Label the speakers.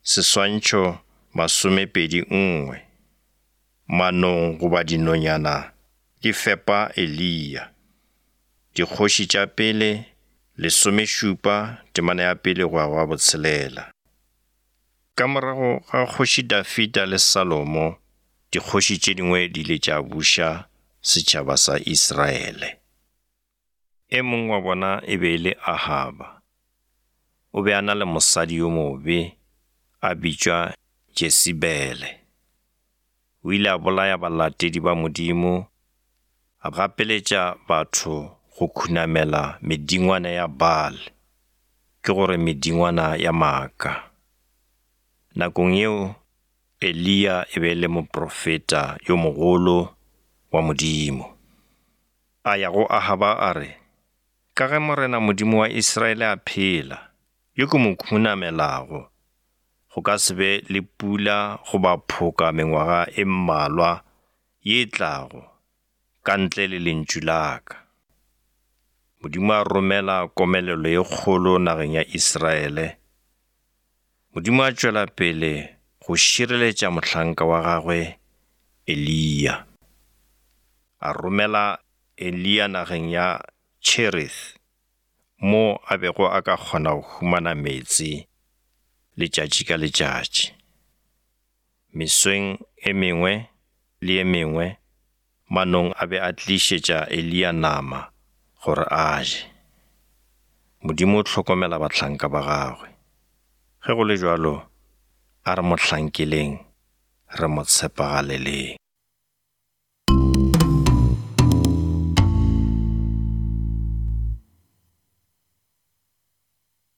Speaker 1: Seswantšho 21. Manong goba dinonyana di fepa Eliya. Dikgoši tša Pele, lesomešupa, temana ya pele go ya go ya botshelela. Ka morago ga Kgoši Dafida le Salomo, dikgoši tše dingwe di ile tša buša setšhaba sa Israele. E mongwe wa bona e be e le Ahaba. O be a na le mosadi yo mobe a bitšwa Jesebele. O ile a bolaya balatedi ba Modimo, a gapeletša batho go khunamela medingwana ya Baal, ke gore medingwana ya maaka. Nakong yeo, Eliya e be e le moprofeta yo mogolo wa Modimo. A ya go Ahaba a re, Ka ge Morena Modimo wa Israele a phela, yo ke mo khunamelago, go ka se be le pula goba phoka mengwaga e mmalwa ye e tlago, ka ntle le lentšu la ka. Modimo a romela komelelo ye kgolo nageng ya Israele. Modimo a tšwela pele go šireletša mohlanka wa gagwe Eliya. A romela Eliya nageng ya Cherith, mo a bego a ka kgona go humana meetse letšatši ka letšatši. Mesong e mengwe le e mengwe, manong a be a tlišetša Eliya nama gore a je. Modimo o hlokomela bahlanka ba gagwe. Ge go le bjalo, a re mo hlankeleng, re mo tshepagaleleng.